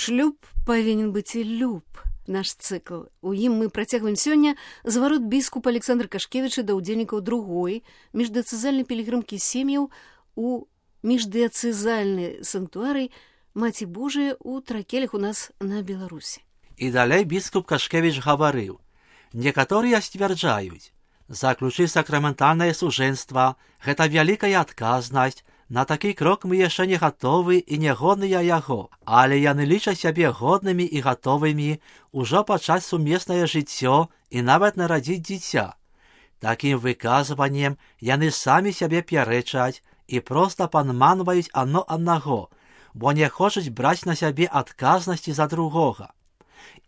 Шлюб павінен быць і люб. Наш цыкл. У ім мы працягваем сёння зварот біскупа Александра Кашкевіча да ўдзельнікаў другой міждыяцэзальнай пілігрымкі сем'яў у міждыяцэзальнай санктуарый Маці Божыя ў Тракелях у нас на Беларусі. І далей біскуп Кашкевіч гаварыў: некаторыя сцвярджаюць, заключыць сакраментальнае сужэнства – гэта вялікая адказнасць, на такі крок мы яшчэ не гатовы і не годныя яго, але яны лічаць сябе годнымі і гатовымі ўжо пачаць сумеснае жыццё і нават нарадзіць дзіця. Такім выказваннем яны самі сябе пярэчаць і проста падманваюць адно аднаго, бо не хочуць браць на сябе адказнасці за другога.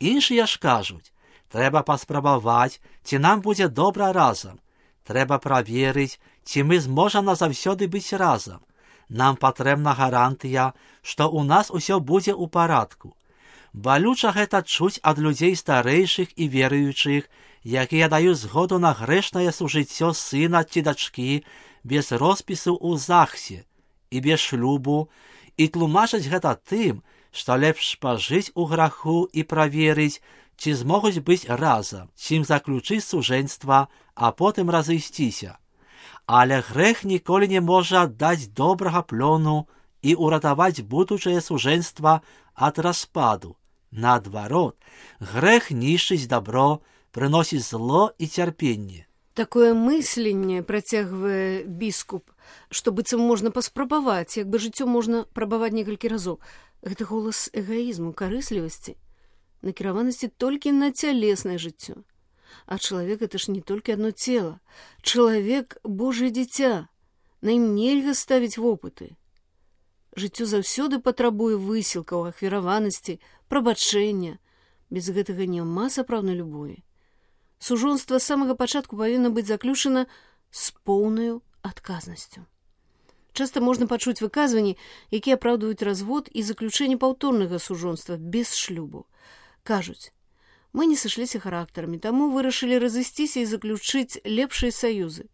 Іншыя ж кажуць, трэба паспрабаваць, ці нам будзе добра разам. Трэба праверыць, ці мы зможам назаўсёды быць разам. Нам патрэбна гарантыя, што ў нас усё будзе ў парадку. Балюча гэта чуць ад людзей старэйшых і веруючых, якія даюць згоду на грэшнае сужыццё сына ці дачкі без роспісу ў ЗАГСе і без шлюбу, і тлумачаць гэта тым, што лепш пажыць у граху і праверыць, ці змогуць быць разам, чым заключыць сужэнства, а потым разысціся. Але грэх ніколі не можа даць добрага плёну і ўратаваць будучае сужэнства ад распаду. Наадварот, грэх нішчыць дабро, прыносіць зло і цярпенне. Такое мысленне, працягвае біскуп, што быццам можна паспрабаваць, як бы жыццё можна прабаваць некалькі разоў. Гэта голас эгаізму, карыслівасці, накіраванасці толькі на цялеснае жыццё. А чалавек — это ж не толькі адно цела. Чалавек — Божае дзіця. На ім нельга ставіць вопыты. Жыццё заўсёды патрабуе высілкаў, ахвяраванасці, прабачэння. Без гэтага няма сапраўднай любові. Сужонства з самага пачатку павінна быць заключана з поўнаю адказнасцю. Часта можна пачуць выказванні, якія апраўдваюць развод і заключэнне паўторнага сужонства без шлюбу. Кажуць: мы не сышліся характарамі, таму вырашылі разысціся і заключыць лепшыя саюзы.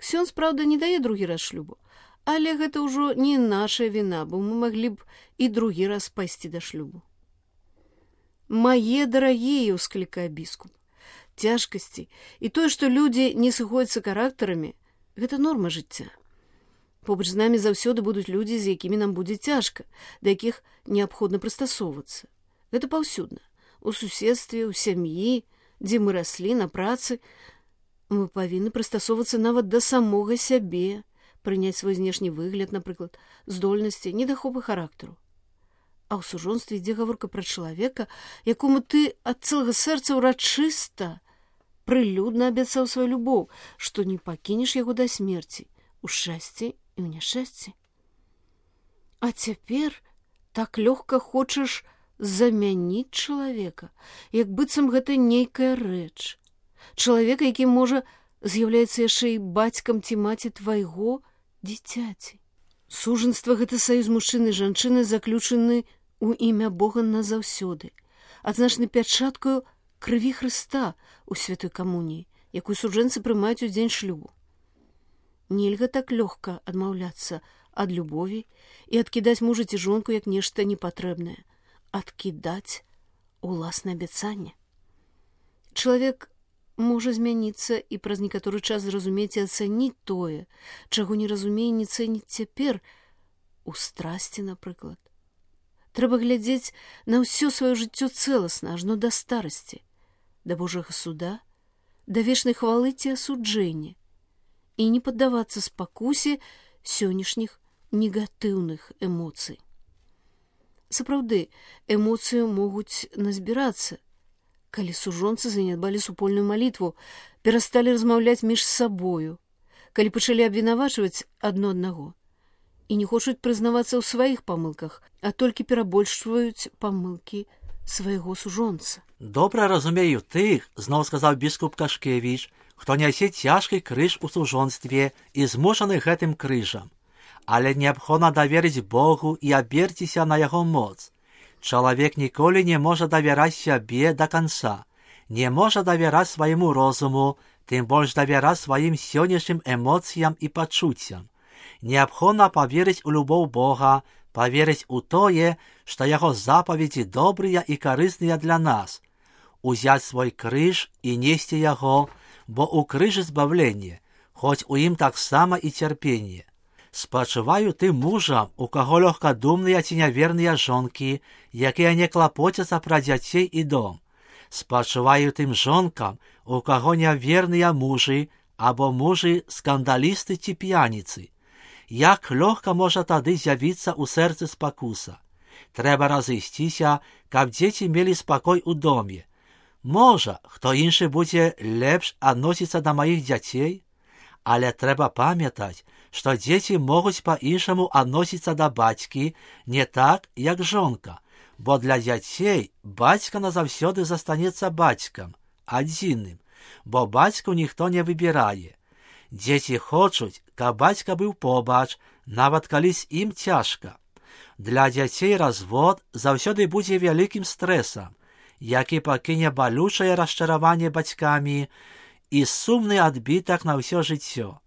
Ксёндз, праўда, не дае другі раз шлюбу, але гэта ўжо не наша віна, бо мы маглі б і другі раз пайсці да шлюбу. Мае дарагія, ўсклікае біскуп, цяжкасці і тое, што людзі не сыходзяцца характарамі, гэта норма жыцця. Побач з намі заўсёды будуць людзі, з якімі нам будзе цяжка, да якіх неабходна прыстасоўвацца. Гэта паўсюдна. У суседстве, у сям'і, дзе мы раслі, на працы. Мы павінны прыстасоўвацца нават да самога сябе, прыняць свой знешні выгляд, напрыклад, здольнасці, недахопы характару. А ў сужонстве ідзе гаворка пра чалавека, якому ты ад цэлага сэрца ўрачыста, прылюдна абяцаў сваю любоў, што не пакінеш яго да смерці, у шчасці і ў няшчасці. А цяпер так лёгка хочаш замяніць чалавека, як быццам гэта нейкая рэч. Чалавека, які, можа, з'яўляецца яшчэ і бацькам ці маці твайго дзіцяці. Сужанства — гэта саюз мужчыны і жанчыны, заключаны ў імя Бога назаўсёды, адзначаны пячаткаю крыві Хрыста ў святой камуніі, якую суджэнцы прымаюць у дзень шлюбу. Нельга так лёгка адмаўляцца ад любові і адкідаць мужа ці жонку як нешта непатрэбнае, адкідаць уласнае абяцанне. Чалавек можа змяніцца і праз некаторы час зразумець і ацаніць тое, чаго не разумее і не цэніць цяпер, у страсці, напрыклад. Трэба глядзець на ўсё сваё жыццё цэласна, ажно да старасці, да Божага суда, да вечнай хвалы ці асуджэння, і не паддавацца спакусе сённяшніх негатыўных эмоцый. Сапраўды, эмоцыі могуць назбірацца, калі сужонцы занядбалі супольную малітву, перасталі размаўляць між сабою, калі пачалі абвінавачваць адно аднаго і не хочуць прызнавацца ў сваіх памылках, а толькі перабольшваюць памылкі свайго сужонца. Добра разумею тых, зноў сказаў біскуп Кашкевіч, хто нясе цяжкі крыж у сужонстве і змушаны гэтым крыжам. Але неабходна даверыць Богу і аберціся на яго моц. Чалавек ніколі не можа давяраць сябе да канца, не можа давяраць свайму розуму, тым больш давяраць сваім сённяшнім эмоцыям і пачуццям. Неабходна паверыць у любоў Бога, поверить у тое, што яго запаведзі добрыя і карысныя для нас, узяць свой крыж і несці яго, бо у крыжы збавленне, хоць у ім таксама і цярпенне. Спачуваю тым мужам, у каго лёгкадумныя ці няверныя жонкі, якія не клапоцяцца пра дзяцей і дом. Спачуваю тым жонкам, у каго няверныя мужы або мужы скандалісты ці п'яніцы. Як лёгка можа тады з'явіцца ў сэрцы спакуса. Трэба разысціся, каб дзеці мелі спакой у доме. Можа, хто іншы будзе лепш адносіцца да маіх дзяцей, але трэба памятаць, што дзеці могуць па-іншаму адносіцца да бацькі не так, як жонка, бо для дзяцей бацька назаўсёды застанецца бацькам, адзіным, бо бацьку ніхто не выбірае. Дзеці хочуць, каб бацька быў побач, нават калі з ім цяжка. Для дзяцей развод заўсёды будзе вялікім стрэсам, які пакіне балючае расчараванне бацькамі і сумны адбітак на ўсё жыццё.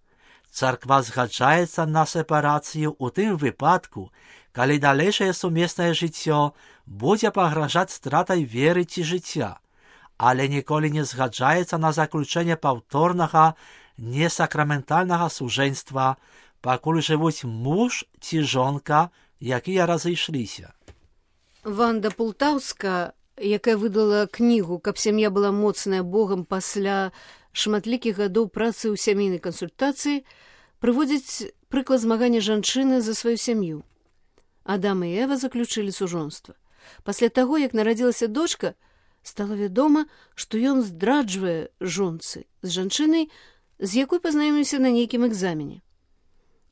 Царква згаджаецца на сепарацыю ў тым выпадку, калі далейшае сумеснае жыццё будзе пагражаць стратай веры ці жыцця, але ніколі не згаджаецца на заключэнне паўторнага несакраментальнага сужэнства, пакуль жывуць муж ці жонка, якія разышліся. Ванда Пултаўска, якая выдала кнігу «Каб сям'я была моцная Богам» пасля шматлікіх гадоў працы ў сямейнай кансультацыі, прыводзіць прыклад змагання жанчыны за сваю сям'ю. Адам і Эва заключылі сужонства. Пасля таго, як нарадзілася дочка, стала вядома, што ён здраджвае жонцы з жанчынай, з якой пазнаёміўся на нейкім экзамене.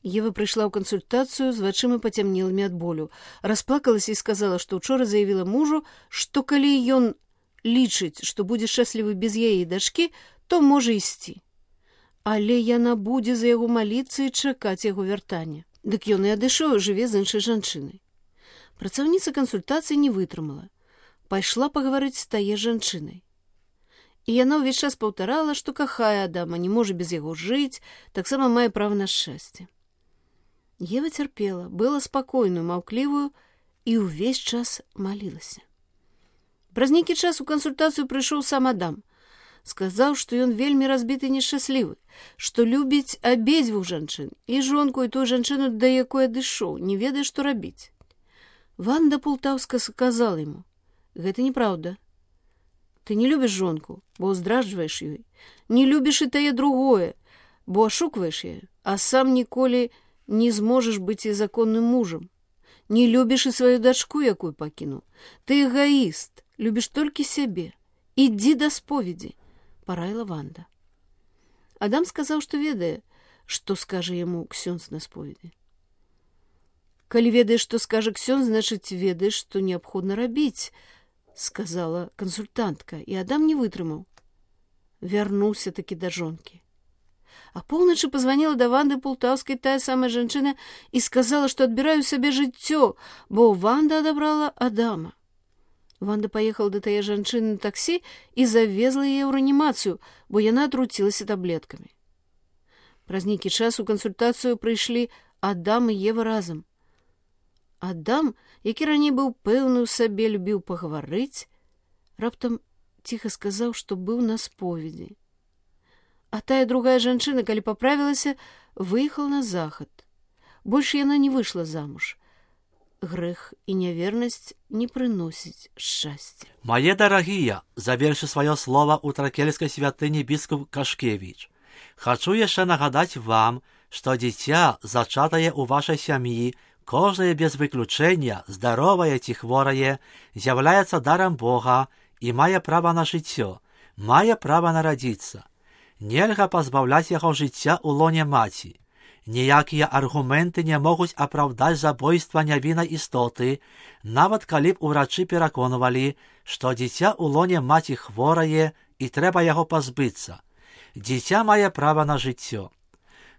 Ева прыйшла ў кансультацыю з вачыма пацямнелымі ад болю, расплакалася і сказала, што ўчора заявіла мужу, што калі ён лічыць, што будзе шчаслівы без яе дачкі, то можа ісці. Але яна будзе за яго маліцца і чакаць яго вяртання. Дык ён і адышоў, жыве з іншай жанчынай. Працаўніца кансультацыі не вытрымала. Пайшла пагаварыць з тае жанчынай. І яна ўвесь час паўтарала, што кахае Адама, не можа без яго жыць, таксама мае права на шчасце. Ева цярпела, была спакойную, маўклівую і ўвесь час малілася. Праз нейкі час у кансультацыю прыйшоў сам Адам. Сказаў, што ён вельмі разбіты і нешчаслівы, што любіць абедзвюх жанчын, і жонку, і тую жанчыну, да якой адышоў, не ведае, што рабіць. Ванда Пултаўска сказала яму: «Гэта неправда. Ты не любіш жонку, бо здраджваеш ёй. Не любіш і тае другое, бо ашукваеш яе, а сам ніколі не зможаш быць і законным мужам. Не любіш і сваю дачку, якую пакінуў. Ты эгоіст, любіш толькі сябе. Ідзі да споведзі», — параіла Ванда. Адам сказаў, што ведае, што скажа яму ксёндз на споведзі. «Калі ведаеш, што скажа ксёндз, значыць, ведаеш, што неабходна рабіць», — сказала кансультантка, і Адам не вытрымаў. Вярнуўся такі да жонкі. А поўначы пазваніла да Ванды Пултаўскай тая самая жанчына і сказала, што адбіраю сабе жыццё, бо Ванда адабрала Адама. Ванда паехала да тае жанчыны на таксі і завезла яе ў рэанімацыю, бо яна атруцілася таблеткамі. Праз нейкі час у кансультацыю прыйшлі Адам і Ева разам. Адам, які раней быў пэўны ў сабе, любіў пагаварыць, раптам ціха сказаў, што быў на споведзі. А тая другая жанчына, калі паправілася, выехала на захад. Больш яна не выйшла замуж. Грэх і нявернасць не прыносіць шчасця. Мае дарагія, завершы сваё слова ў тракельскай святыні біскуп Кашкевіч. Хачу яшчэ нагадаць вам, што дзіця, зачатае ў вашай сям'і, кожнае без выключэння, здаровае ці хворае, з'яўляецца дарам Бога і мае права на жыццё, мае права нарадзіцца. Нельга пазбаўляць яго жыцця ў лоне маці. Ніякія аргументы не могуць апраўдаць забойства нявіннай істоты, нават калі б урачы пераконвалі, што дзіця ў лоне маці хворае і трэба яго пазбыцца. Дзіця мае права на жыццё.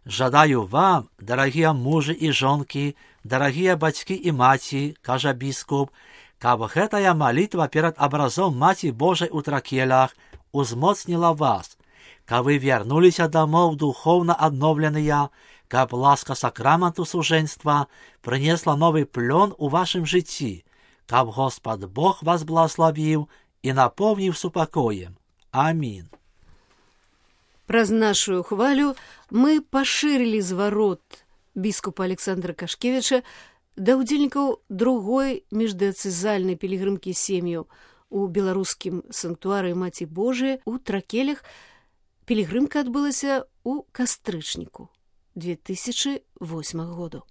Жадаю вам, дарагія мужы і жонкі, дарагія бацькі і маці, кажа біскуп, каб гэтая малітва перад абразом Маці Божай у тракелях узмоцніла вас, каб вы вярнуліся дамоў духоўна адноўленыя, каб ласка сакраменту сужэнства прынесла новы плён у вашым жыцці, каб Господ Бог вас благословіў і напоўніў супакоем. Амін. Праз нашу хвалю мы пашырылі зварот біскупа Александра Кашкевіча да ўдзельнікаў другой міждыяцэзальнай пілігрымкі сем'яў у беларускім санктуарыі Маці Божыяй у Тракелях. Пілігрымка адбылася ў кастрычніку 2008 году.